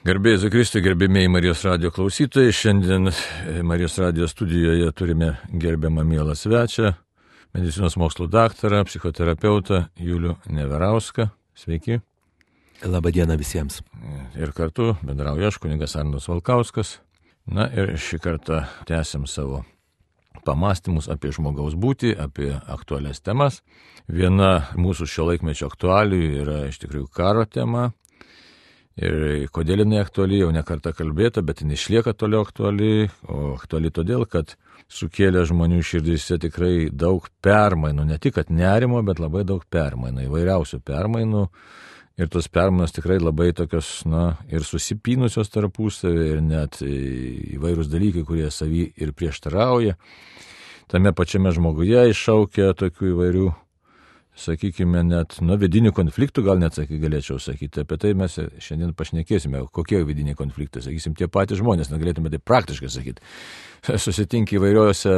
Garbėjai Jėzui Kristui, gerbėmiai Marijos radijo klausytojai. Šiandien Marijos radijo studijoje turime gerbiamą mielą svečią, medicinos mokslų daktarą, psichoterapeutą Julių Neverauską. Sveiki. Labadiena visiems. Ir kartu bendrauja aš, kunigas Arnas Valkauskas. Na ir šį kartą tęsim savo pamąstymus apie žmogaus būtį, apie aktualias temas. Viena mūsų šio laikmečio aktualijų yra iš tikrųjų karo tema. Ir kodėl jinai aktuali, jau ne kartą kalbėta, bet jinai išlieka toliau aktuali, o aktuali todėl, kad sukėlė žmonių širdyse tikrai daug permainų, ne tik kad nerimo, bet labai daug permainų, įvairiausių permainų. Ir tos permainos tikrai labai tokios, ir susipynusios tarpusavį, ir net įvairūs dalykai, kurie savy ir prieštarauja. Tame pačiame žmoguje iššaukia tokių įvairių, sakykime, net vidinių konfliktų, gal net galėčiau sakyti. Apie tai mes šiandien pašnekėsime, kokie vidiniai konfliktai, sakysim, tie patys žmonės, negalėtume tai praktiškai sakyti. Susitinki įvairiose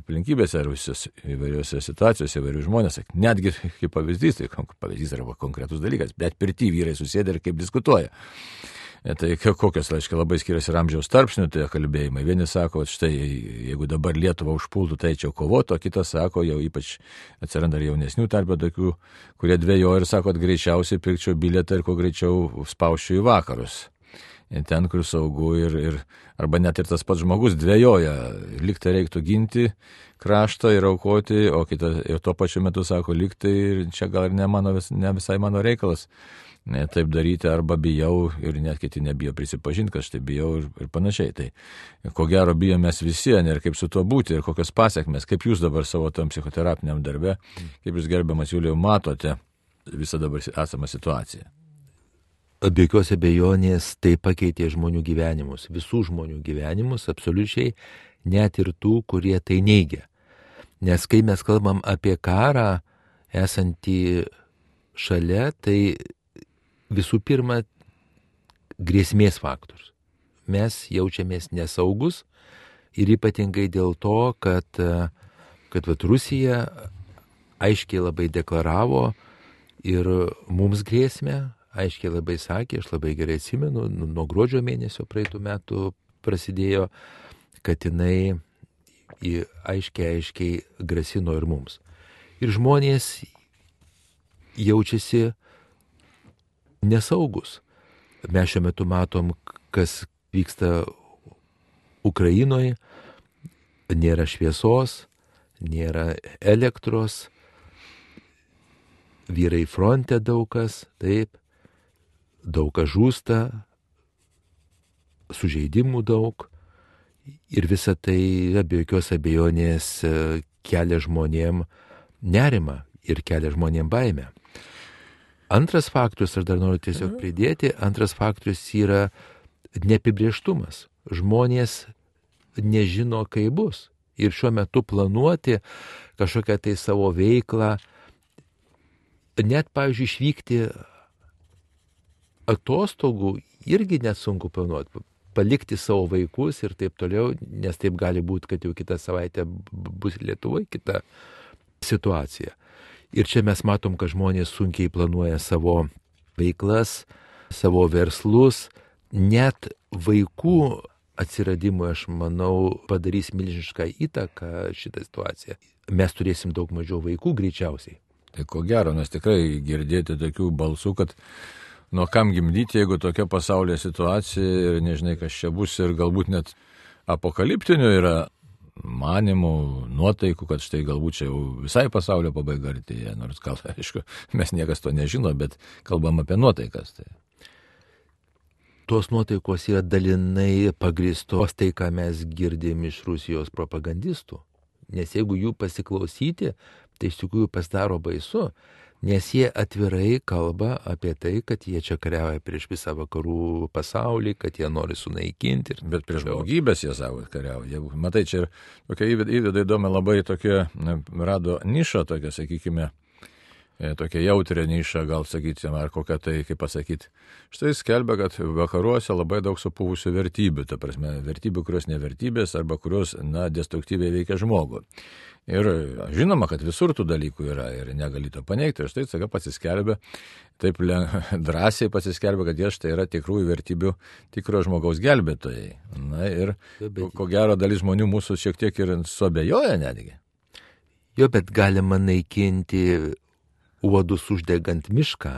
aplinkybėse, ar įvairiose situacijose, įvairių žmonės, netgi kaip pavyzdys, tai pavyzdys arba konkretus dalykas, bet pirty vyrai susėdę ir kaip diskutuoja. Tai kokios, reiškia, labai skiriasi amžiaus tarpsnių tie kalbėjimai. Vieni sako, štai, jeigu dabar Lietuvą užpultų, tai čia kovoto, o kitas sako, jau ypač atsiranda ir jaunesnių tarp tokių, kurie dvejoja ir sako, kad greičiausiai pirkčiau bilietą ir kuo greičiau spauščiau į vakarus. Ten, kur saugu arba net ir tas pats žmogus dvejoja, liktai reiktų ginti kraštą ir aukoti, o kitas ir tuo pačiu metu sako, liktai ir čia gal ir ne visai mano reikalas. Taip daryti, arba bijau ir net kiti nebijo prisipažinti, kad štai bijau ir panašiai. Tai ko gero bijom mes visi, ir kaip su tuo būti, ir kokios pasiekmes, kaip jūs dabar savo tam psichoterapiniam darbe, kaip jūs gerbiamas Julijau matote visą dabar esamą situaciją. Be jokios abejonės tai pakeitė žmonių gyvenimus, visų žmonių gyvenimus, absoliučiai, net ir tų, kurie tai neigia. Nes kai mes kalbam apie karą esantį šalia, tai visų pirma, grėsmės faktorius. Mes jaučiamės nesaugus ir ypatingai dėl to, kad Rusija aiškiai labai deklaravo ir mums grėsmę, aiškiai labai sakė, aš labai gerai atsimenu, nuo gruodžio mėnesio praeitų metų prasidėjo, kad jinai aiškiai grasino ir mums. Ir žmonės jaučiasi nesaugus. Mes šiuo metu matom, kas vyksta Ukrainoje, nėra šviesos, nėra elektros, vyrai fronte daug kas, taip, daug kas žūsta, sužeidimų daug ir visa tai be jokios abejonės kelia žmonėm nerimą ir kelia žmonėm baimę. Antras faktorius, aš dar noriu tiesiog pridėti, antras faktorius yra neapibrėžtumas. Žmonės nežino, kaip bus. Ir šiuo metu planuoti kažkokią tai savo veiklą, net, pavyzdžiui, išvykti atostogų irgi nesunku planuoti. Palikti savo vaikus ir taip toliau, nes taip gali būti, kad jau kitą savaitę bus Lietuvoje kita situacija. Ir čia mes matom, kad žmonės sunkiai planuoja savo veiklas, savo verslus. Net vaikų atsiradimui, aš manau, padarys milžinišką įtaką šitą situaciją. Mes turėsim daug mažiau vaikų greičiausiai. Tai ko gero, nes tikrai girdėti tokių balsų, kad nuo kam gimdyti, jeigu tokia pasaulyje situacija ir nežinai, kas čia bus, ir galbūt net apokaliptinių yra manimų, nuotaikų, kad štai galbūt čia jau visai pasaulio pabaiga artėja, nors gal, aišku, mes niekas to nežino, bet kalbam apie nuotaikas. Tai. Tos nuotaikos yra dalinai pagrįstos tai, ką mes girdim iš Rusijos propagandistų. Nes jeigu jų pasiklausyti, tai iš tikrųjų pasidaro baisu, nes jie atvirai kalba apie tai, kad jie čia kariauja prieš visą vakarų pasaulį, kad jie nori sunaikinti. Bet prieš žmogybės jie savo kariauja. Matai, čia ir tokia įveda įdomi labai tokia, rado nišą tokia, sakykime, tokia jautrė niša, gal sakysim, ar kokia tai, kaip pasakyti. Štai skelbia, kad vakaruose labai daug supuvusių vertybių, ta prasme, vertybių, kurios nevertybės arba kurios, destruktyviai veikia žmogų. Ir žinoma, kad visur tų dalykų yra ir negali to paneigti. Ir štai staiga pasiskelbia, taip drąsiai pasiskelbia, kad jie štai yra tikrųjų vertybių, tikro žmogaus gelbėtojai. Na ir ko gero dalis žmonių mūsų šiek tiek ir suabejoja netgi. Jo, bet galima naikinti uodus uždegant mišką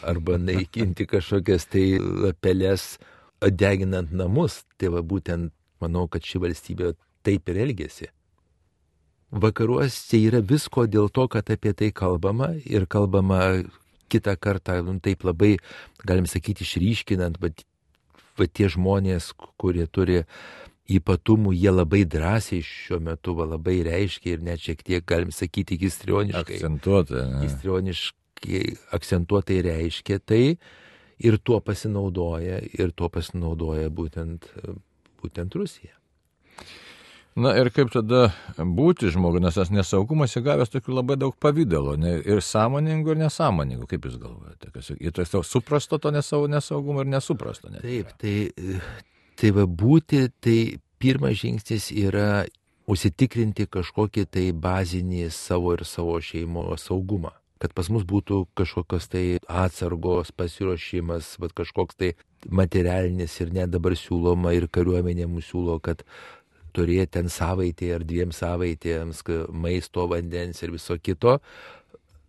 arba naikinti kažkokias tai lapeles deginant namus. Tai va būtent manau, kad ši valstybė taip ir elgėsi. Vakaruose yra visko dėl to, kad apie tai kalbama ir kalbama kitą kartą, taip labai, galim sakyti, išryškinant, bet tie žmonės, kurie turi ypatumų, jie labai drąsiai šiuo metu labai reiškia ir net šiek tiek, galim sakyti, histrioniškai. Akcentuotai reiškia tai ir tuo pasinaudoja būtent Rusija. Na ir kaip tada būti žmogui, nes tas nesaugumas įgavęs tokių labai daug pavydalo, ir sąmoningų, ir nesąmoningų, kaip jūs galvojate? Ir tai suprasto to nesaugumo ir nesuprasto. Taip, tai va būti, tai pirmas žingsnis yra užsitikrinti kažkokį tai bazinį savo ir savo šeimos saugumą. Kad pas mus būtų kažkokios tai atsargos, pasiruošimas, kažkoks tai materialinis ir net dabar siūloma ir kariuomenė mums siūlo, kad turėti ten savaitė ar 2 savaitėms maisto, vandens ir viso kito.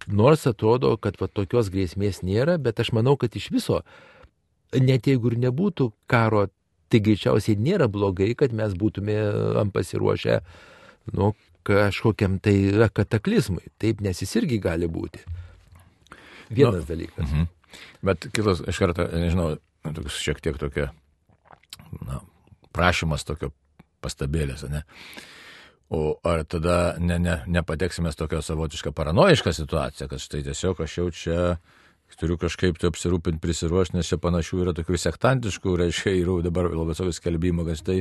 Nors atrodo, kad tokios grėsmės nėra, bet aš manau, kad iš viso, net jeigu ir nebūtų karo, tai greičiausiai nėra blogai, kad mes būtume pasiruošę kažkokiam tai kataklizmui. Taip, nes jis irgi gali būti. Vienas dalykas. Bet kitas, iš karto, nežinau, šiek tiek tokia, prašymas tokio pastabėlės, ne? O ar tada nepateksime tokią savotišką paranojišką situaciją, kad štai tiesiog aš jau čia turiu kažkaip tai apsirūpinti, prisiruošti, nes čia panašių yra tokių sektantiškų, reiškia, ir dabar labai savo skelbimo, kad štai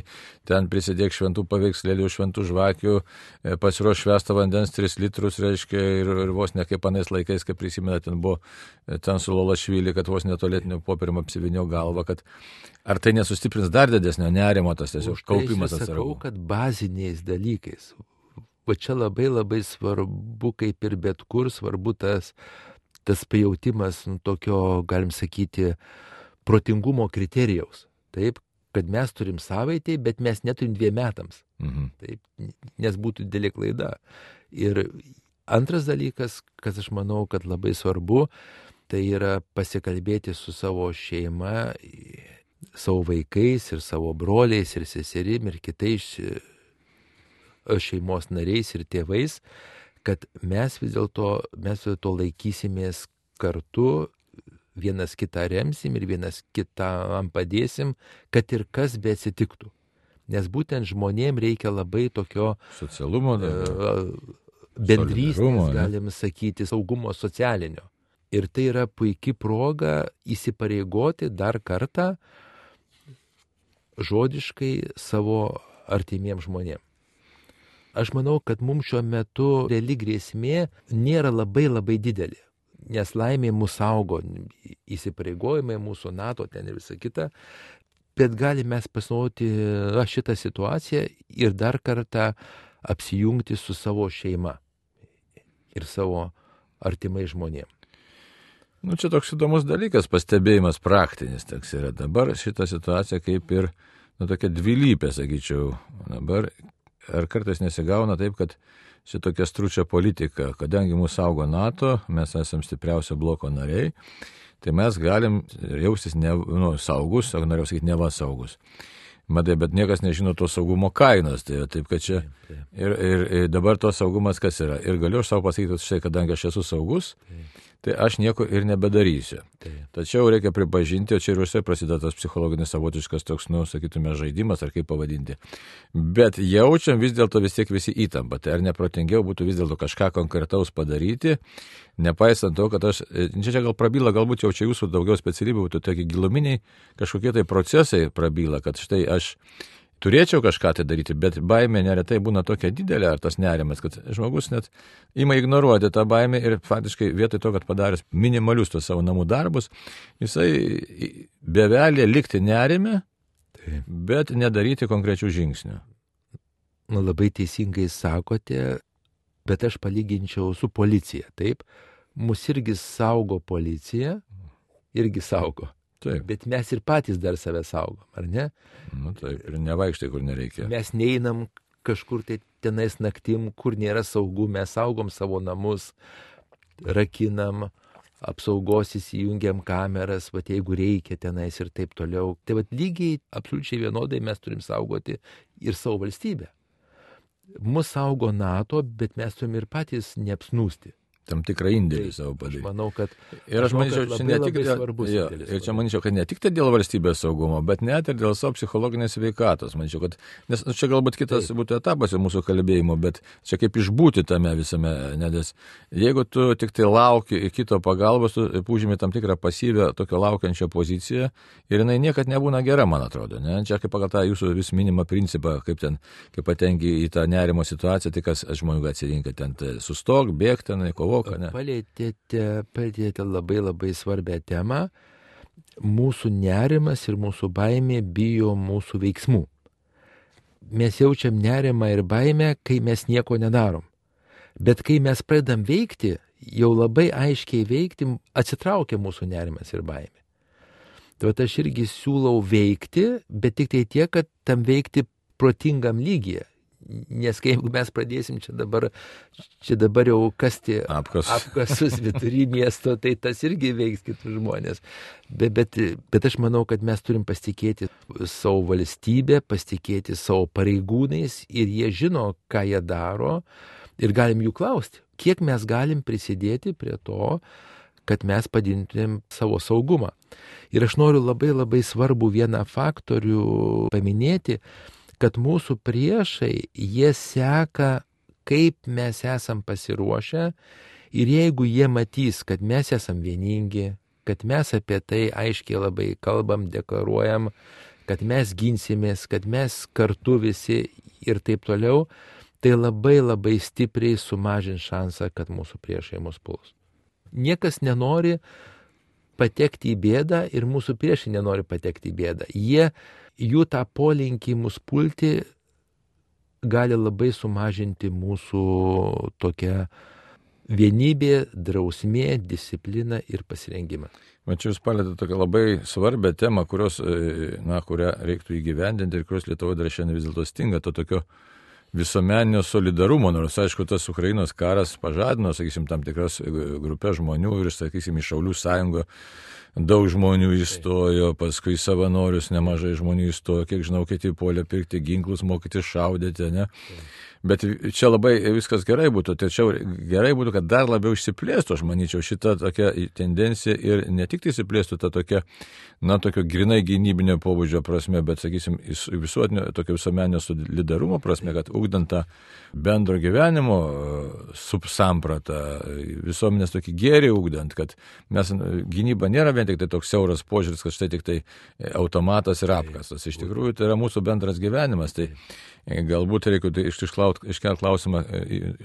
ten prisidėk šventų paveikslėlių, šventų žvakių, pasiruoš švestą vandens 3 litrus, reiškia, ir vos ne kaip anais laikais, kaip prisimena, ten buvo ten su Lolašvili, kad vos netolėtiniu popierium apsivinio galvą, kad ar tai nesustiprins dar didesnio nerimo, tas tiesiog kaupimas atsargų. Sakau, kad baziniais dalykais, va čia labai labai svarbu, kaip ir bet kur, svarbu tas pajautimas tokio, galim sakyti, protingumo kriterijaus. Taip, kad mes turim savaitę, bet mes neturim 2 metams. Taip, nes būtų didelė klaida. Ir antras dalykas, kas aš manau, kad labai svarbu, tai yra pasikalbėti su savo šeima, savo vaikais ir savo broliais ir seserim ir kitais šeimos nariais ir tėvais, kad mes vis dėlto laikysimės kartu, vienas kitą remsim ir vienas kitam padėsim, kad ir kas beatsitiktų. Nes būtent žmonėm reikia labai tokio socialumo, bendrystės, galim sakyti, saugumo socialinio. Ir tai yra puikia proga įsipareigoti dar kartą žodiškai savo artimiems žmonėms. Aš manau, kad mums šiuo metu reali grėsmė nėra labai didelė, nes laimė mūsų saugo, įsipareigojimai mūsų NATO ten ir visa kita, bet galime mes pasinaudoti šitą situaciją ir dar kartą apsijungti su savo šeima ir savo artimai žmonėms. Čia toks įdomus dalykas, pastebėjimas praktinis toks yra. Dabar šita situacija kaip ir tokia dvilypė, sakyčiau. Dabar ar kartais nesigauna taip, kad šitokia stručia politika, kadangi mūsų saugo NATO, mes esame stipriausio bloko nariai, tai mes galim jaustis saugus, norėjau sakyti, neva saugus. Matai, bet niekas nežino to saugumo kainos, tai taip, kad čia ir dabar to saugumas kas yra. Ir galiu aš savo pasakyti, štai, kadangi aš esu saugus, tai aš nieko ir nebedarysiu. Tačiau reikia pripažinti, o čia ir užsiai prasideda tas psichologinis savotiškas toks, sakytume, žaidimas, ar kaip pavadinti. Bet jaučiam vis dėlto vis tiek visi įtampą. Tai ar neprotingiau būtų vis dėlto kažką konkretaus padaryti, nepaisant to, kad čia gal prabyla, galbūt jau čia jūsų daugiau specialybių būtų tokie giluminiai kažkokie tai procesai prabyla, kad štai aš turėčiau kažką tai daryti, bet baimė neretai būna tokia didelė, ar tas nerimas, kad žmogus net ima ignoruoti tą baimę ir faktiškai vietoj to, kad padaręs minimalius tos savo namų darbus, jisai bevelė likti nerime, bet nedaryti konkrečių žingsnių. Nu, labai teisingai sakote, bet aš palyginčiau su policija, taip? Mūsų irgi saugo policija, irgi saugo. Taip. Bet mes ir patys dar save saugom, ar ne? Nu, taip, ir nevaikštai, kur nereikia. Mes neinam kažkur tai tenais naktim, kur nėra saugu, mes saugom savo namus, rakinam, apsaugos įsijungiam kameras, vat jeigu reikia tenais ir taip toliau. Tai vat lygiai, absoliučiai vienodai mes turim saugoti ir savo valstybę. Mus saugo NATO, bet mes turim ir patys neapsnūsti. Tam tikrą indėlį savo padaryti. Aš manau, kad ir aš manyčiau, čia ne tik svarbus indėlis. Ir čia manyčiau, kad ne tik tai dėl valstybės saugumo, bet net ir dėl savo psichologinės sveikatos. Manyčiau, kad, nes čia galbūt kitas būtų etapas mūsų kalbėjimo, bet čia kaip išbūti tame visame, nes jeigu tu tik tai lauki kito pagalbos, tu užimi tam tikrą pasyvę tokio laukiančio poziciją ir jinai niekad nebūna gera, man atrodo. Ne? Čia kaip pagal tą jūsų vis minimą principą, kaip patenki į tą nerimo situaciją, tai kas žmonių atsirinka ten, sustok, bėk ten, kovok. Palėtėte labai svarbę temą. Mūsų nerimas ir mūsų baimė bijo mūsų veiksmų. Mes jaučiam nerimą ir baimę, kai mes nieko nedarom. Bet kai mes pradedam veikti, jau labai aiškiai veikti, atsitraukia mūsų nerimas ir baimė. Tai aš irgi siūlau veikti, bet tik tai tiek, kad tam veikti protingam lygyje. Nes kai mes pradėsim čia dabar jau kasti apkasus vidury miesto, tai tas irgi veiks kitus žmonės. Bet aš manau, kad mes turim pasitikėti savo valstybę, pasitikėti savo pareigūnais ir jie žino, ką jie daro ir galim jų klausti, kiek mes galim prisidėti prie to, kad mes padintumėm savo saugumą. Ir aš noriu labai svarbų vieną faktorių paminėti, kad mūsų priešai, jie seka, kaip mes esam pasiruošę ir jeigu jie matys, kad mes esam vieningi, kad mes apie tai aiškiai labai kalbam, deklaruojam, kad mes ginsimės, kad mes kartu visi ir taip toliau, tai labai stipriai sumažins šansą, kad mūsų priešai mus puls. Niekas nenori patekti į bėdą ir mūsų priešai nenori patekti į bėdą. Jų tą polinkį mus pulti gali labai sumažinti mūsų tokią vienybė, drausmė, disciplina ir pasirengimą. Mačiau, jūs palėtėte tokią labai svarbią temą, kurią reiktų įgyvendinti ir kurios Lietuvoje dar šiandien vis dėlto stinga, to tokio visuomeninio solidarumo, nors aišku, tas Ukrainos karas pažadino, sakysim, tam tikras grupės žmonių ir, sakysim, iš Šaulių sąjungo daug žmonių įstojo, paskui savanorius nemažai žmonių įstojo, kiek žinau, kiti puolė pirkti ginklus, mokyti šaudyti, ne? Bet čia labai viskas gerai būtų, tačiau gerai būtų, kad dar labiau išsiplėstų, aš manyčiau, šita tokia tendencija ir ne tik tai išsiplėstų ta tokia, tokio grinai gynybinio pobūdžio prasme, bet, sakysim, visuotinio, tokio visuomeninio solidarumo prasme, kad ugdant tą bendro gyvenimo subsampratą, visuomenės tokį gėrį ugdant, kad mes gynyba nėra vien tik tai toks siauras požiūris, kad štai tik tai automatas ir apkastas. Iš tikrųjų, tai yra mūsų bendras gyvenimas. Tai galbūt reikia iškelti klausimą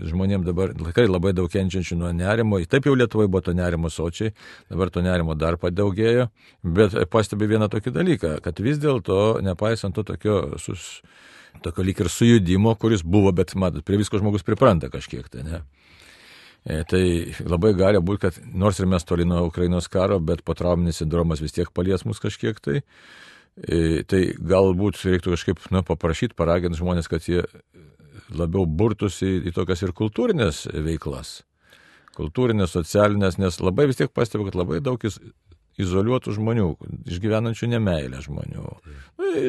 žmonėms dabar, tikrai labai daug kenčiančių nuo nerimo. Taip jau Lietuvoje buvo to nerimo sočiai, dabar to nerimo dar padaugėjo, bet pastebi vieną tokį dalyką, kad vis dėlto, nepaisant to tokio lyg ir sujudimo, kuris buvo, bet matot, prie visko žmogus pripranta kažkiek tai, ne? Tai labai gali būti, kad nors ir mes toli nuo Ukrainos karo, bet potrauminis sindromas vis tiek palies mus kažkiek tai. Tai galbūt reiktų kažkaip paprašyti, paraginti žmonės, kad jie labiau burtųsi į tokias ir kultūrinės veiklas. Kultūrinės, socialinės, nes labai vis tiek pastebiu, kad labai daug izoliuotų žmonių, išgyvenančių nemeilę žmonių.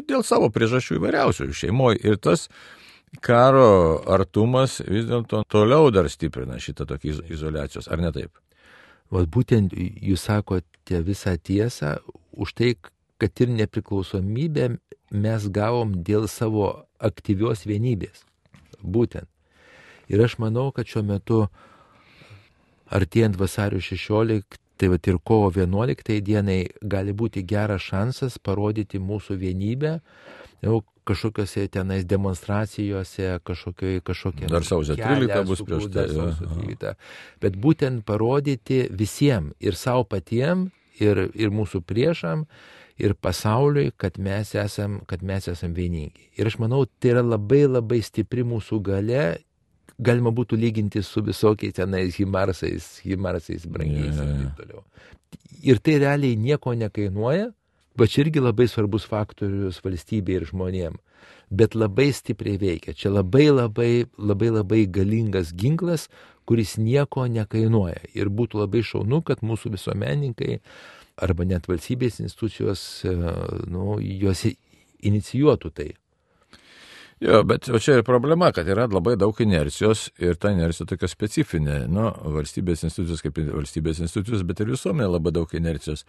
Dėl savo priežasčių įvairiausių šeimoje. Ir tas karo artumas vis dėlto toliau dar stiprina šitą tokį izoliacijos, ar ne taip? O būtent jūs sakote visą tiesą, už tai, kad ir nepriklausomybę mes gavom dėl savo aktyvios vienybės. Būtent. Ir aš manau, kad šiuo metu, artėjant vasario 16, tai ir kovo 11 dienai, gali būti geras šansas parodyti mūsų vienybę jau kažkokiose tenais demonstracijose, kažkokie... Dar sausio 13 bus prieš tai. Sausio 13. Bet būtent parodyti visiems, ir savo patiem, ir mūsų priešam, ir pasauliui, kad mes esam vieningi. Ir aš manau, tai yra labai labai stipri mūsų galia, galima būtų lyginti su visokiais tenais himarsais brangiais ir taip toliau. Ir tai realiai nieko nekainuoja, bet čia irgi labai svarbus faktorius valstybė ir žmonėm. Bet labai stipriai veikia. Čia labai galingas ginklas, kuris nieko nekainuoja. Ir būtų labai šaunu, kad mūsų visuomenininkai arba net valstybės institucijos, juos inicijuotų tai. Jo, bet čia ir problema, kad yra labai daug inercijos ir ta inercija tokia specifinė. Valstybės institucijos kaip valstybės institucijos, bet ir visuomenė labai daug inercijos.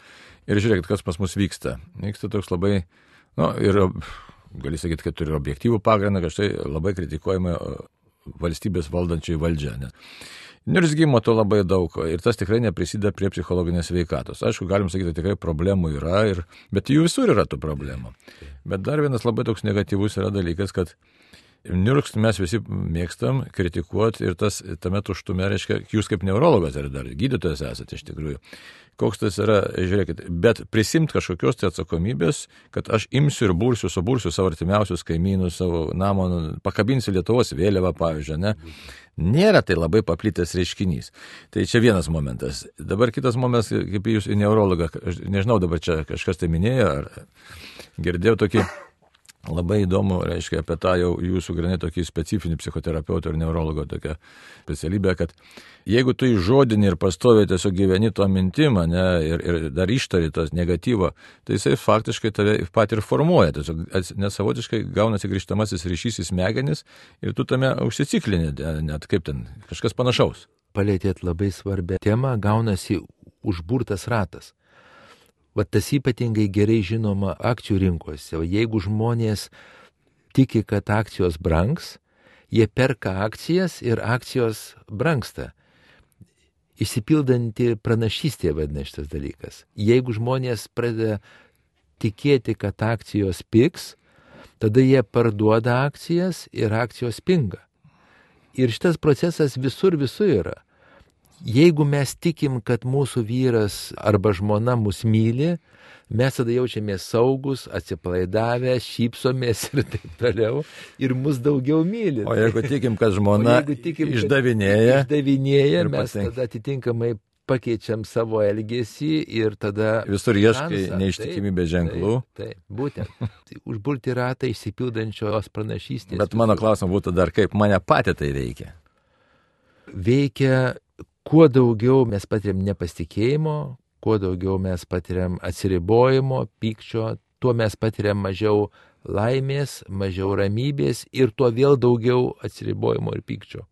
Ir žiūrėkit, kas pas mus vyksta. Vyksta toks labai, ir gali sakyti, kad turi objektyvų pagrindą, kad štai labai kritikuojama valstybės valdančiai valdžia. Niurzgimo to labai daug ir tas tikrai neprisideda prie psichologinės sveikatos. Aišku, galim sakyti, tikrai problemų yra, bet jų visur yra tų problemų. Bet dar vienas labai toks negatyvus yra dalykas, kad niurgst mes visi mėgstam kritikuoti ir tame tuštume reiškia, jūs kaip neurologas ar dar gydytojas esate iš tikrųjų. Koks tas yra, žiūrėkit, bet prisimt kažkokios tai atsakomybės, kad aš imsiu ir subursiu savo artimiausius kaimynus, savo namą, pakabinsiu Lietuvos vėliavą, pavyzdžiui, ne? Nėra tai labai paplitęs reiškinys. Tai čia vienas momentas. Dabar kitas momentas, kaip jūs į neurologą, nežinau, dabar čia kažkas tai minėjo, ar girdėjau tokį labai įdomu, reiškia, apie tą jau jūsų granai tokį specifinį psichoterapeuto ir neurologo tokią specialybę, kad jeigu tu įžodini ir pastoviai tiesiog gyveni to mintimą, ne, ir dar ištari tos negatyvo, tai jisai faktiškai tave pat ir formuoja, tiesiog nesavotiškai gaunasi grįžtamasis ryšys į smegenis ir tu tame užsiciklini, net kaip ten, kažkas panašaus. Palėtėt labai svarbią temą, gaunasi užburtas ratas. Vat tas ypatingai gerai žinoma akcijų rinkose. Jeigu žmonės tiki, kad akcijos brangs, jie perka akcijas ir akcijos brangsta. Išsipildanti pranašystė vadina šitas dalykas. Jeigu žmonės pradeda tikėti, kad akcijos pigs, tada jie parduoda akcijas ir akcijos pinga. Ir šitas procesas visur yra. Jeigu mes tikim, kad mūsų vyras arba žmona mus myli, mes tada jaučiamės saugus, atsipalaidavę, šypsomės ir taip toliau, ir mus daugiau myli. O jeigu tikim, kad žmona išdavinėja, mes tada atitinkamai pakeičiam savo elgesį ir tada... Visur ieškai neištikimybės ženklų. Taip, būtent. Užburti ratą išsipildančios pranašystės. Bet mano klausimas būtų dar, kaip mane patį tai veikia? Veikia... Kuo daugiau mes patiriam nepasitikėjimo, kuo daugiau mes patiriam atsiribojimo, pykčio, tuo mes patiriam mažiau laimės, mažiau ramybės ir tuo vėl daugiau atsiribojimo ir pykčio.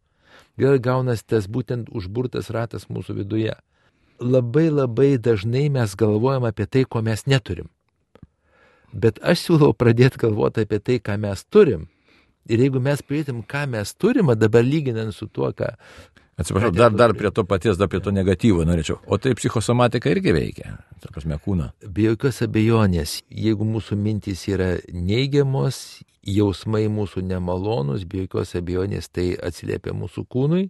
Vėl gaunas tas būtent užburtas ratas mūsų viduje. Labai dažnai mes galvojam apie tai, ko mes neturim. Bet aš siūlau pradėti galvoti apie tai, ką mes turim. Ir jeigu mes pridėtum, ką mes turim, dabar lyginant su tuo, ką... Atsiprašau, dar prie to paties, dar prie to negatyvo norėčiau. O tai psichosomatika irgi veikia, ta prasme, kūną. Be jokios abejonės, jeigu mūsų mintys yra neigiamos, jausmai mūsų nemalonus, be jokios abejonės tai atsiliepia mūsų kūnui,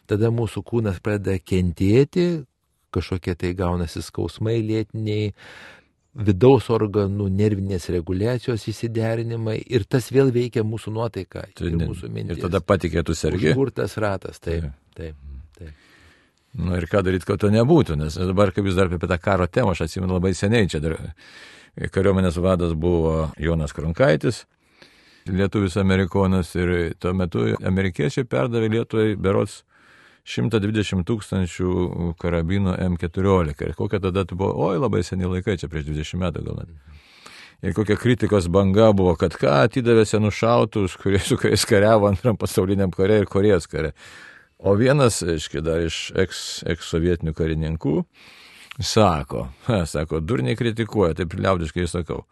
tada mūsų kūnas pradeda kentėti, kažkokie tai gaunasi skausmai lėtiniai, vidaus organų nervinės reguliacijos įsiderinimai ir tas vėl veikia mūsų nuotaiką ir mūsų mintis. Ir tada patikėtų sergi. Užburtas ratas, taip. Ir ką daryti, kad to nebūtų, nes dabar, kaip jūs dar apie tą karo temą, aš atsimenu labai seniai, čia dar kariuomenės vadas buvo Jonas Kronkaitis, lietuvis amerikonas, ir tuo metu amerikiečiai perdavė Lietuvai berods 120 000 karabinų M14. Ir kokia tada buvo, labai seni laikai, čia prieš 20 metų gal net. Ir kokia kritikos banga buvo, kad atidavė senus šautus, su kuriais kariavo Antram pasauliniam kare ir Korėjos kare. O vienas, dar iš ex-sovietinių karininkų, sako, durniai kritikuoja, taip liaudiškai sakau.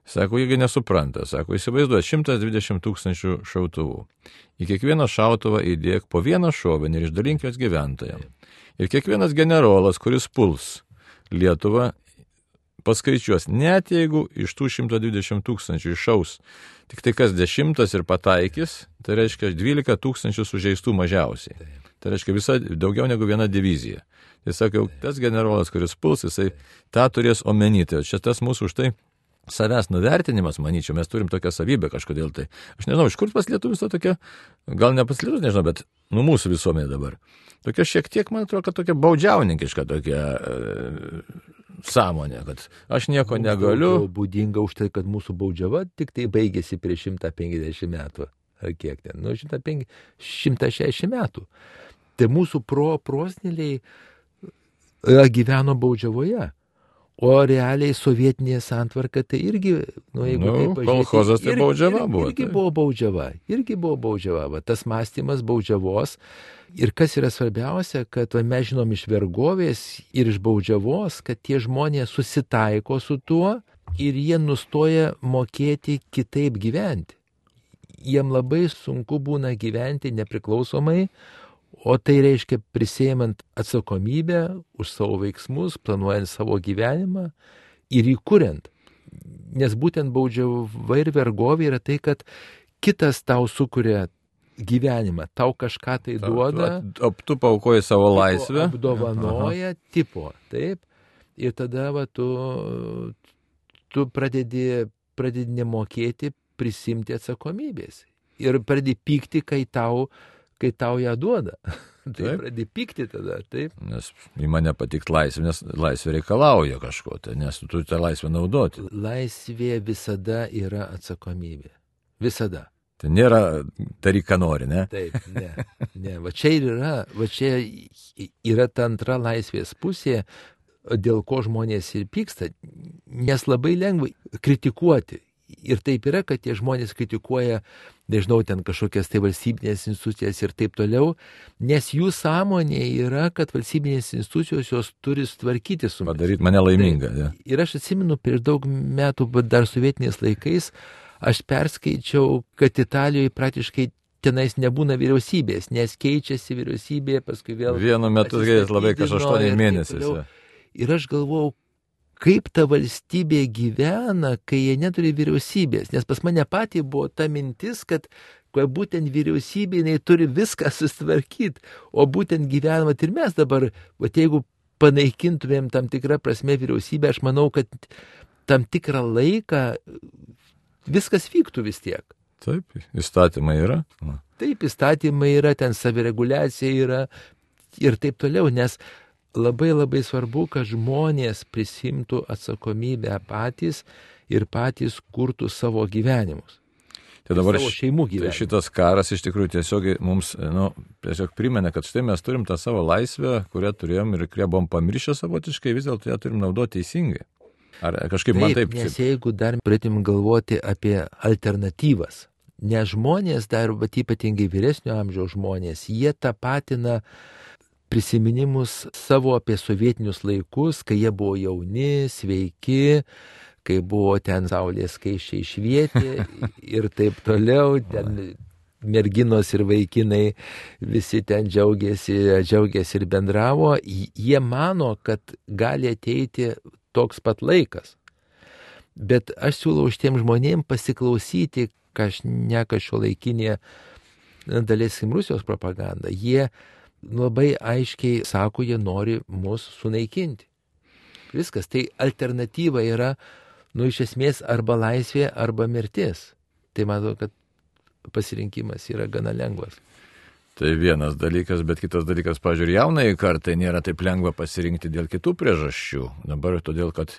Sako, jeigu nesupranta, sako, įsivaizduoja 120 000 šautuvų. Į kiekvieną šautuvą įdėk po vieną šovinį ir išdalink jos gyventojams. Ir kiekvienas generolas, kuris puls Lietuvą, paskaičiuos, net jeigu iš tų 120 000 iššaus tik tai kas 10 ir pataikys, tai reiškia 12 000 sužeistų mažiausiai. Tai reiškia daugiau negu viena divizija. Tai sakiau, tas generolas, kuris puls, jisai tą turės omeny. Tai čia tas mūsų už tai savęs nuvertinimas, manyčiau, mes turim tokią savybę kažkodėl tai. Aš nežinau, iš kur pas lietuvius to tokia, gal ne pas lietuvius, nežinau, bet mūsų visuomenė dabar. Tokia šiek tiek, man atrodo, kad tokia baudžiauninkiška tokia sąmonė, kad aš nieko negaliu. Būdinga už tai, kad mūsų baudžiava tik tai baigėsi prieš 150 metų. Ar kiek ten? 160 metų. Tai mūsų proseneliai gyveno baudžiavoje. O realiai sovietinė santvarka tai irgi, jeigu taip pažiūrėti, kolchozas tai baudžiava buvo. Irgi buvo baudžiava. Va, tas mąstymas baudžiavos. Ir kas yra svarbiausia, kad mes žinom iš vergovės ir iš baudžiavos, kad tie žmonės susitaiko su tuo ir jie nustoja mokėti kitaip gyventi. Jiem labai sunku būna gyventi nepriklausomai, o tai reiškia prisiėmant atsakomybę už savo veiksmus, planuojant savo gyvenimą ir įkuriant. Nes būtent baudžiava ir vergovė yra tai, kad kitas tau sukuria gyvenimą, tau kažką tai duoda. Tu paukoji savo laisvę. Apdovanoja tipo, taip. Ir tada tu pradedi nemokėti prisimti atsakomybės. Ir pradedi pykti, kai tau ją duoda. Tai pradedi pykti tada, taip. Nes į mane patikt laisvė, nes laisvė reikalauja kažko, tai, nes tu turi tą laisvę naudoti. Laisvė visada yra atsakomybė. Visada. Tai nėra daryk, ką nori, ne? Taip, ne. Va čia yra ta antra laisvės pusė, dėl ko žmonės ir pyksta, nes labai lengva kritikuoti. Ir taip yra, kad tie žmonės kritikuoja, nežinau, ten kažkokias tai valstybinės institucijas ir taip toliau, nes jų sąmonė yra, kad valstybinės institucijos jos turi tvarkyti su manimi. Padaryti mane laimingą. Tai, ir aš atsimenu, prieš daug metų, dar sovietiniais laikais, aš perskaičiau, kad Italijoje praktiškai tenais nebūna vyriausybės, nes keičiasi vyriausybė, paskui vėl... Vienu metu labai kažkas 8 mėnesius. Ir aš galvojau, kaip ta valstybė gyvena, kai jie neturi vyriausybės. Nes pas mane patį buvo ta mintis, kad būtent vyriausybė jinai turi viską susitvarkyti, o būtent gyvenimą ir mes dabar, jeigu panaikintumėm tam tikrą prasme vyriausybę, aš manau, kad tam tikrą laiką viskas vyktų vis tiek. Taip, įstatymai yra. Taip, įstatymai yra, ten savireguliacija yra ir taip toliau, nes labai labai svarbu, kad žmonės prisimtų atsakomybę patys ir patys kurtų savo gyvenimus. Tai dabar savo šeimų gyvenimus. Tai šitas karas iš tikrųjų tiesiog mums tiesiog primena, kad štai mes turim tą savo laisvę, kurią turėjom ir kurią buvom pamiršę savotiškai, vis dėlto ją turim naudoti teisingai. Ar kažkaip man taip? Nes jeigu dar pradėtum galvoti apie alternatyvas, nes žmonės dar, bet ypatingai vyresnio amžiaus žmonės, jie tapatina prisiminimus savo apie sovietinius laikus, kai jie buvo jauni, sveiki, kai buvo ten saulės skaisčiai švietė ir taip toliau, ten merginos ir vaikinai visi ten džiaugiasi ir bendravo. Jie mano, kad gali ateiti toks pat laikas. Bet aš siūlau šitiem žmonėm pasiklausyti, ką šiuolaikinė daleiskim Rusijos propaganda. Jie labai aiškiai sako, jie nori mus sunaikinti. Viskas. Tai alternatyva yra, iš esmės, arba laisvė, arba mirtis. Tai matau, kad pasirinkimas yra gana lengvas. Tai vienas dalykas, bet kitas dalykas, pažiūrėjau, jaunai kartai nėra taip lengva pasirinkti dėl kitų priežasčių. Dabar todėl, kad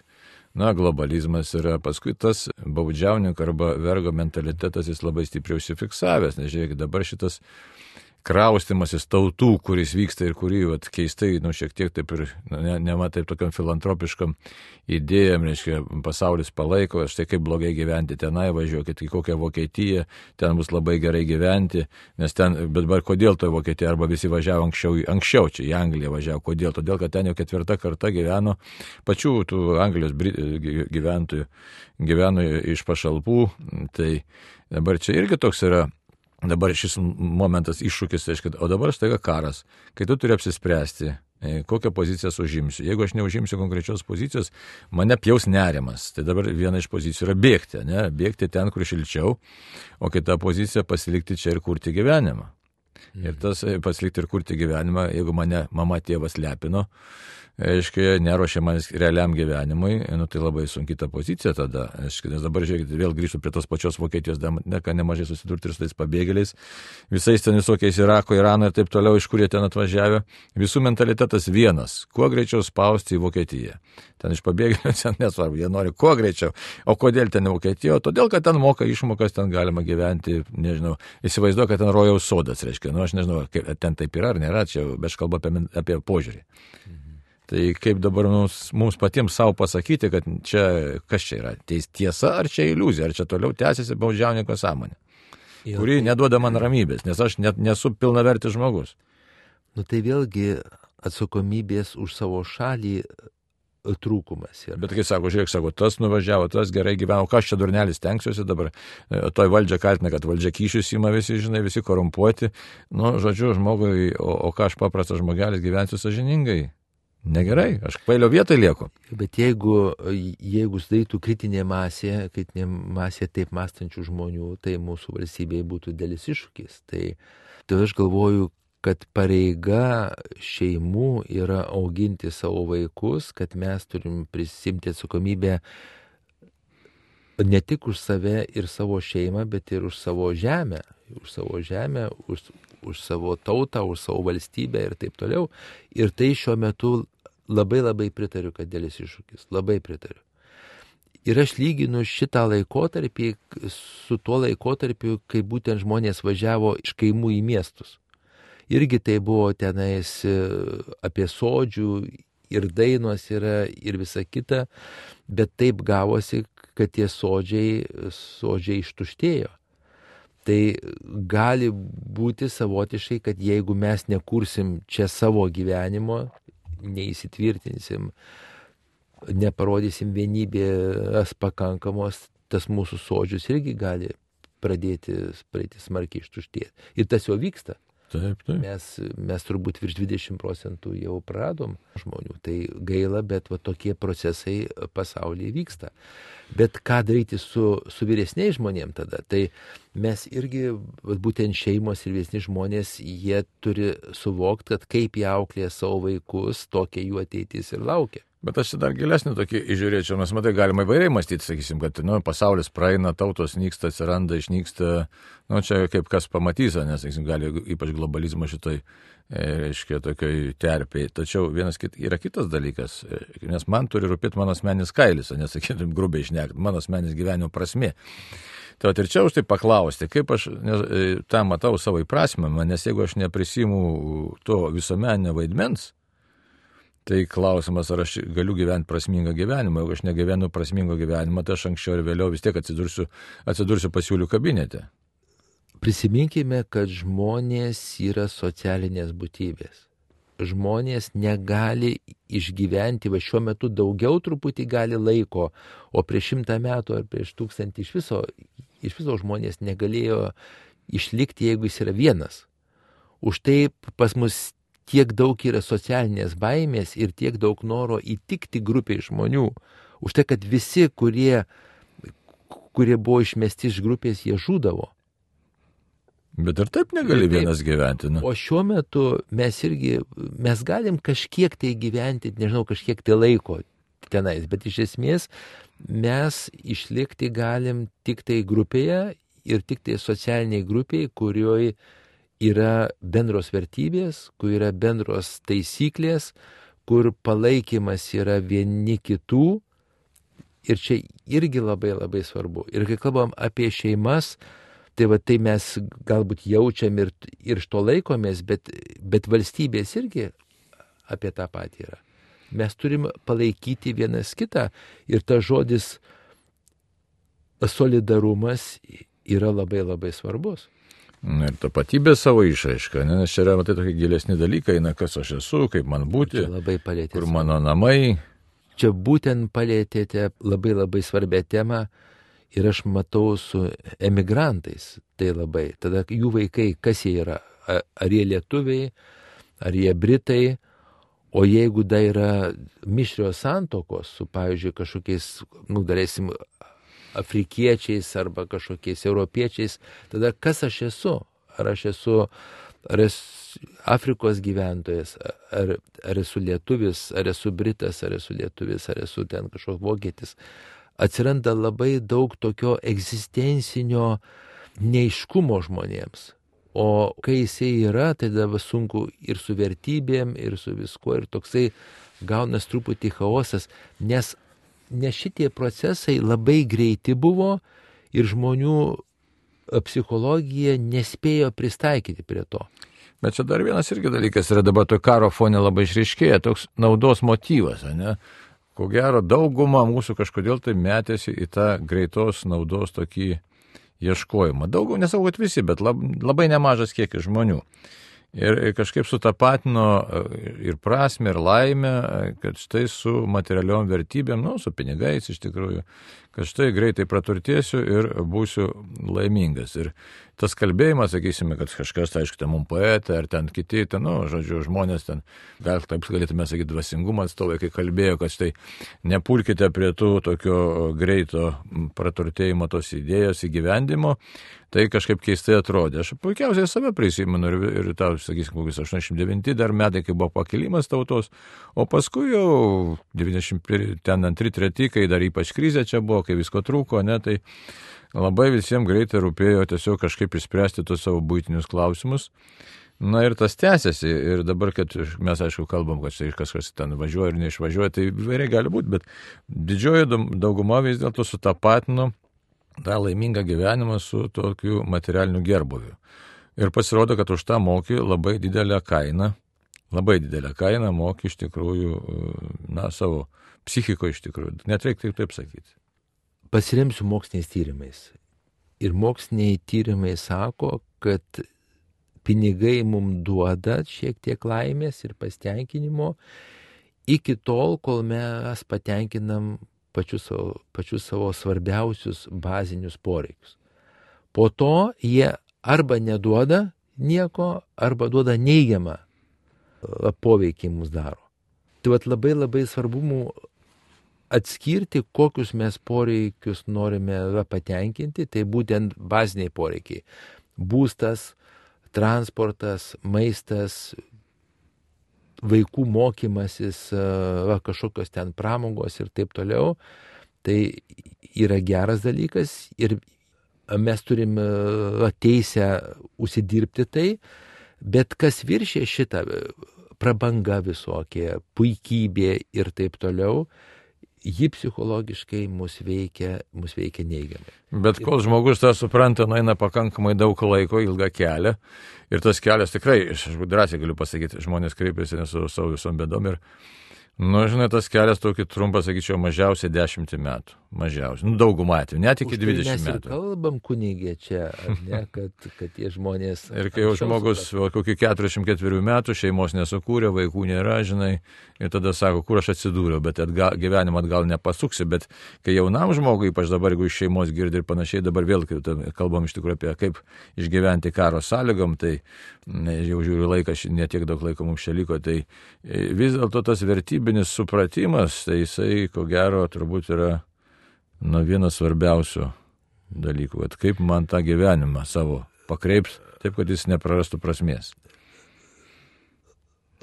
globalizmas yra, paskui tas baudžiauninko arba vergo mentalitetas jis labai stipriai užsifiksavęs, nes žiūrėkit, dabar šitas kraustimasis tautų, kuris vyksta ir kurį keistai, šiek tiek taip ir, taip tokiam filantropiškam idėjam, reiškia, pasaulis palaiko, štai kaip blogai gyventi tenai, važiuokit į kokią Vokietiją, ten bus labai gerai gyventi, nes ten, bet kodėl toje Vokietijoje, arba visi važiavo anksčiau čia į Angliją važiavo, kodėl? Todėl, kad ten jau 4. karta gyveno, pačių tų Anglijos gyventojų gyveno iš pašalpų, tai dabar čia irgi toks yra dabar šis momentas iššūkis, tai reiškia, o dabar staiga karas, kai tu turi apsispręsti, kokią poziciją užimsiu. Jeigu aš neužimsiu konkrečios pozicijos, mane pjaus nerimas. Tai dabar viena iš pozicijų yra bėgti, ne? Bėgti ten, kur šilčiau, o kita pozicija pasilikti čia ir kurti gyvenimą. Ir tas pasilikti ir kurti gyvenimą, jeigu mane mama tėvas lepino, aiškiai, neruošia manęs realiam gyvenimui, tai labai sunki ta pozicija tada. Aiškiai, nes dabar, žiūrėkite, vėl grįžtu prie tos pačios Vokietijos, nemažai susidurti ir su tais pabėgėliais, visais ten visokiais Irako, Irano ir taip toliau, iš kur jie ten atvažiavę. Visų mentalitetas vienas, kuo greičiau spausti į Vokietiją. Ten iš pabėgėlių, ten nesvarbu, jie nori kuo greičiau. O kodėl ten į Vokietiją? Todėl, kad ten moka išmokas, ten galima gyventi, nežinau, įsivaizduoju, kad ten rojaus sodas, reiškia, aš nežinau, ten taip yra ar nėra, čia aš kalbu apie požiūrį. Tai kaip dabar mums patiems savo pasakyti, kad čia, kas čia yra, tiesa ar čia iliuzija, ar čia toliau tęsiasi baudžiauninko sąmonė, kuri neduoda man ramybės, nes aš net nesu pilnavertis žmogus. Tai vėlgi atsakomybės už savo šalį trūkumas yra. Bet kai sako, tas nuvažiavo, tas gerai gyveno, kas čia durnelis tenksiuosi dabar, toj valdžia kaltina, kad valdžia kyšius ima visi, žinai, visi korumpuoti, žodžiu, žmogui, o ką aš paprastas žmogelis gyvensiu sąžiningai. Negerai, aš kvailio vietoj lieku. Bet jeigu sudarytų kritinė masė taip mąstančių žmonių, tai mūsų valstybėje būtų didelis iššūkis. Tai aš galvoju, kad pareiga šeimų yra auginti savo vaikus, kad mes turim prisimti atsakomybę ne tik už save ir savo šeimą, bet ir už savo žemę. Už savo tautą, už savo valstybę ir taip toliau. Ir tai šiuo metu labai pritariu, kad dėlis iššūkis. Labai pritariu. Ir aš lyginu šitą laikotarpį su tuo laikotarpiu, kai būtent žmonės važiavo iš kaimų į miestus. Irgi tai buvo tenais apie sodžių ir dainos yra ir visa kita, bet taip gavosi, kad tie sodžiai ištuštėjo. Tai gali būti savotiškai, kad jeigu mes nekursim čia savo gyvenimo, neįsitvirtinsim, neparodysim vienybės pakankamos, tas mūsų sodžius irgi gali pradėti smarkiai ištuštėti. Ir tas jau vyksta. Taip. Mes turbūt virš 20% jau pradom žmonių. Tai gaila, bet tokie procesai pasaulyje vyksta. Bet ką daryti su vyresniais žmonėms tada? Tai mes irgi, būtent šeimos ir vyresni žmonės, jie turi suvokti, kad kaip jie auklėja savo vaikus, tokia jų ateitis ir laukia. Bet aš dar gilesnį tokį įžiūrėčiau, nes matai, galima įvairiai mąstyti, sakysim, kad pasaulis praeina, tautos nyksta, atsiranda, išnyksta, čia kaip kas pamatys, nes, sakysim, gali ypač globalizmo šitoj, reiškia, tokioj terpėj. Tačiau yra kitas dalykas, nes man turi rūpėti mano asmeninis kailis, nesakytum grubiai šnekti, mano asmeninis gyvenimo prasmė. Tai ir čia už tai paklausti, kaip aš tą matau savo įprasmę, nes jeigu aš neprisimu to visuomeninio vaidmens, tai klausimas, ar aš galiu gyventi prasmingą gyvenimą. Jeigu aš negyvenu prasmingo gyvenimą, tai aš anksčiau ir vėliau vis tiek atsidursiu pasiūlių kabinete. Prisiminkime, kad žmonės yra socialinės būtybės. Žmonės negali išgyventi, šiuo metu daugiau truputį gali laiko, o prieš 100 metų ar prieš 1000 iš viso žmonės negalėjo išlikti, jeigu jis yra vienas. Už tai pas mus tiek daug yra socialinės baimės ir tiek daug noro įtikti grupiai žmonių. Už tai, kad visi, kurie buvo išmesti iš grupės, jie žūdavo. Bet ir taip negali vienas gyventi. O šiuo metu mes galim kažkiek tai gyventi, nežinau, kažkiek tai laiko tenais, bet iš esmės mes išlikti galim tik tai grupėje ir tik tai socialiniai grupiai, kurioje yra bendros vertybės, kur yra bendros taisyklės, kur palaikymas yra vieni kitų. Ir čia irgi labai svarbu. Ir kai kalbam apie šeimas, tai mes galbūt jaučiam ir iš to laikomės, bet valstybės irgi apie tą patį yra. Mes turim palaikyti vienas kitą ir tas žodis solidarumas yra labai svarbus. Ir tapatybė savo išraiška, nes čia yra tokie gilesni dalykai, kas aš esu, kaip man būti, kur mano namai. Čia būtent palėtėte labai svarbią temą Ir aš matau su emigrantais tai labai. Tada jų vaikai, kas jie yra? Ar jie lietuviai, ar jie britai? O jeigu dar yra mišrios santokos su, pavyzdžiui, kažkokiais, darėsim, afrikiečiais arba kažkokiais europiečiais, tada kas aš esu? Ar aš esu Afrikos gyventojas, ar esu lietuvis, ar esu britas, ar esu lietuvis, ar esu ten kažkoks vokietis? Atsiranda labai daug tokio egzistencinio neiškumo žmonėms. O kai jisai yra, tai dabar sunku ir su vertybėm, ir su viskuo, ir toksai gaunas truputį chaosas, nes šitie procesai labai greiti buvo ir žmonių psichologija nespėjo pristaikyti prie to. Bet čia dar vienas irgi dalykas yra dabar to karo fone labai išryškėja, toks naudos motyvas, ne? Ko gero, dauguma mūsų kažkodėl tai metėsi į tą greitos naudos tokį ieškojimą. Daugau, nesakau, kad visi, bet labai nemažas kiekis žmonių. Ir kažkaip sutapatino ir prasmę, ir laimę, kad štai su materialiom vertybėm, su pinigais iš tikrųjų, kad štai greitai praturtėsiu ir būsiu laimingas. Ir tas kalbėjimas, sakysime, kad kažkas, aišku, ten mums poetai, ar ten kiti, ten, žodžiu, žmonės ten, gal taip galėtume sakyti, dvasingumo atstovai, kai kalbėjo, kad štai nepulkite prie tų tokio greito praturtėjimo tos idėjos įgyvendimo, tai kažkaip keistai atrodė. Aš puikiausiai save prisimenu ir tau, sakysim, kokius 89 dar metai, kai buvo pakilimas tautos, o paskui jau 92-3, kai dar ypač krizė čia buvo, kai visko trūko, tai labai visiems greitai rūpėjo tiesiog kažkaip išspręsti tos savo buitinius klausimus. Ir tas tęsiasi. Ir dabar, kad mes, aišku, kalbam, kad kažkas ten važiuoja ir neišvažiuoja, tai įvairiai gali būti, bet didžioji dauguma vis dėlto sutapatino tą laimingą gyvenimą su tokiu materialiniu gerbūviu. Ir pasirodo, kad už tą moki labai didelę kainą moki iš tikrųjų, savo psichiko iš tikrųjų. Net reikia taip sakyti. Pasiremsiu moksliniais tyrimais. Ir moksliniai tyrimai sako, kad pinigai mums duoda šiek tiek laimės ir pasitenkinimo iki tol, kol mes patenkinam pačius savo svarbiausius bazinius poreikius. Po to jie arba neduoda nieko, arba duoda neigiamą poveikį mums daro. Tai labai labai svarbu mums atskirti, kokius mes poreikius norime patenkinti, tai būtent baziniai poreikiai. Būstas, transportas, maistas, vaikų mokymasis, kažkokios ten pramogos ir taip toliau. Tai yra geras dalykas ir mes turim teisę užsidirbti tai, bet kas viršė šitą prabanga visokie, puikybė ir taip toliau, ji psichologiškai mus veikia neigiamai. Bet kol žmogus tą supranta, eina pakankamai daug laiko, ilgą kelią. Ir tas kelias tikrai, aš drąsiai galiu pasakyti, žmonės kreipiasi su savo visom bėdom ir, žinai, tas kelias tokį trumpą, sakyčiau, mažiausiai 10 metų. Mažiausiai. Daugumą atveju, net iki 20 metų. Mes ir kalbam kunigė čia, ne, kad tie žmonės... Ir kai jau žmogus kokį 44 metų, šeimos nesukūrė, vaikų nėra, žinai, ir tada sako, kur aš atsidūriau, bet gyvenimą atgal nepasuksi, bet kai jaunam žmogui, ypač dabar, jeigu iš šeimos girdi ir panašiai, dabar vėl kalbam iš tikrųjų apie kaip išgyventi karo sąlygom, tai jau žiūriu laiką, netiek daug laiko mums čia liko, tai vis dėlto tas vertybinis supratimas, tai jisai, ko gero, turbūt yra vienas svarbiausių dalykų, kad kaip man tą gyvenimą savo pakreips, taip, kad jis neprarastų prasmės.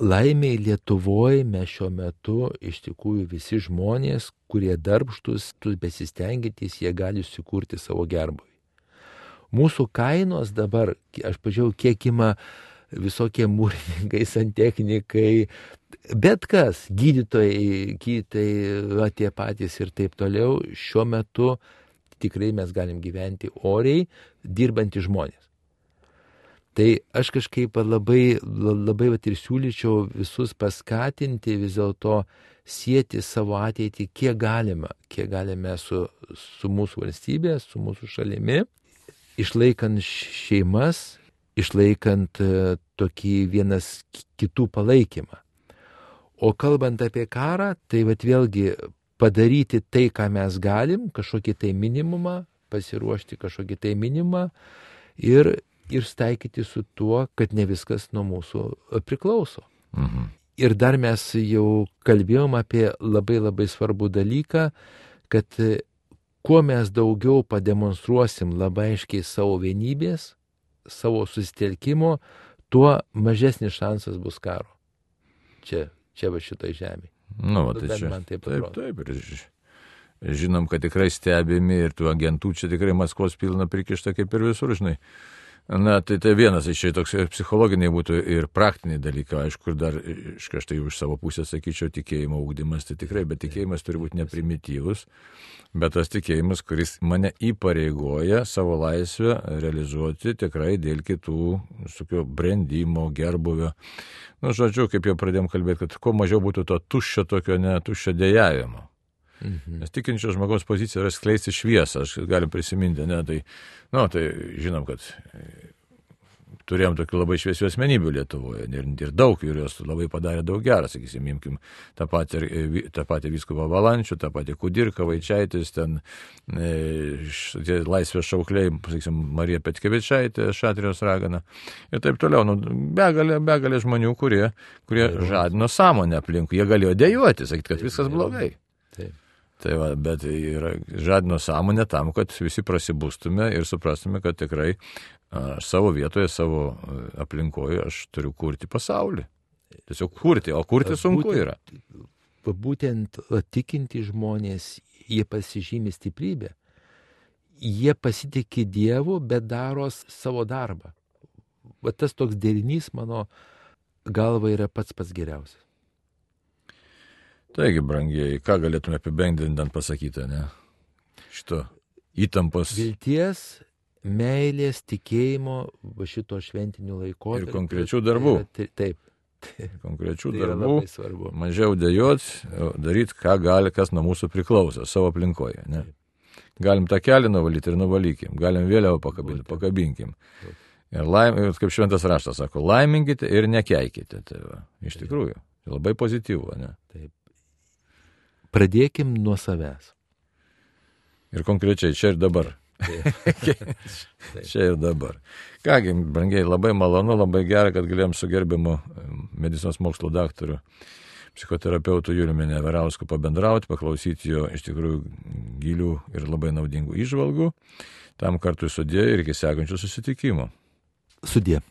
Laimiai Lietuvoje mes šiuo metu iš tikrųjų visi žmonės, kurie darbštus, besistengintys, jie gali sukurti savo gerbūvį. Mūsų kainos dabar, aš pažiūrėjau, kiek ima visokie mūrininkai, santechnikai, bet kas, gydytojai, tie patys ir taip toliau, šiuo metu tikrai mes galim gyventi oriai, dirbantys žmonės. Tai aš kažkaip labai ir siūlyčiau visus paskatinti vis dėlto sieti savo ateitį kiek galime su mūsų valstybė, su mūsų šalimi, išlaikant šeimas, išlaikant tokį vienas kitų palaikymą. O kalbant apie karą, tai vėlgi padaryti tai, ką mes galim, kažkokį tai minimumą, pasiruošti kažkokį tai minimą ir staikyti su tuo, kad ne viskas nuo mūsų priklauso. Ir dar mes jau kalbėjom apie labai svarbų dalyką, kad kuo mes daugiau pademonstruosim labai aiškiai savo vienybės, savo susitelkimo, tuo mažesnis šansas bus karo. Čia va šitai žemė. Tai čia. Taip. Ir žinom, kad tikrai stebimi ir tų agentų čia tikrai Maskvos pilna prikišta kaip ir visur, žinai. Tai vienas iš čia toks psichologiniai būtų ir praktiniai dalykai, aišku, ir dar aš tai iš savo pusės sakyčiau tikėjimo ūkdymas, tai tikrai, bet tikėjimas turi būti neprimityvus, bet tas tikėjimas, kuris mane įpareigoja savo laisvę realizuoti tikrai dėl kitų brendimo, gerbuvio. Žodžiu, kaip jau pradėjom kalbėti, kad kuo mažiau būtų to tuščio tokio tuščio dejavimo. Nes tikinčio žmogaus pozicija yra skleisti šviesą, aš galim prisiminti, tai žinom, kad turėjom tokių labai šviesių asmenybių Lietuvoje ir daug, ir jos labai padarė daug gerą, sakysim, imkim tą patį vyskupą Valančių, tą patį Kudirką, Vaičaitis, laisvės šaukliai, sakysim, Marija Petkevičaitė, Šatrijos ragana ir taip toliau. Begalė žmonių, kurie žadino sąmonę aplinkui, jie galėjo dejuoti, sakyti, kad viskas blogai. Taip. Tai va, bet žadino sąmonę tam, kad visi prasibustume ir suprastume, kad tikrai aš savo vietoje, savo aplinkoje aš turiu kurti pasaulį. Tiesiog kurti, o kurti sunku yra. Būtent tikinti žmonės, jie pasižymi stiprybę. Jie pasitikė Dievu, bet daro savo darbą. Va tas toks derinys, mano galva, yra pats geriausias. Taigi, brangieji, ką galėtume apibendrinant pasakyti, ne? Šito įtampos. Vilties, meilės, tikėjimo, šito šventinių laikotarpių. Ir konkrečių darbų. Taip. Konkrečių darbų. Mažiau dėjot, daryti, kas nuo mūsų priklauso, savo aplinkoje, ne? Galim tą kelią nuvalyti ir nuvalykim. Galim vėliau pakabinkim. Ir kaip šventas raštas sako, laiminkite ir nekeikite. Tai va, iš tikrųjų, labai pozityvu, ne? Taip. Pradėkim nuo savęs. Ir konkrečiai, čia ir dabar. Čia ir dabar. Kągi, brangiai, labai malonu, labai gera, kad galėjom su gerbiamu medicinos mokslo daktaru, psichoterapeutu Juliumi Neverausku pabendrauti, paklausyti jo iš tikrųjų gilių ir labai naudingų įžvalgų. Tam kartu sudie ir iki sekančių susitikimų. Sudie.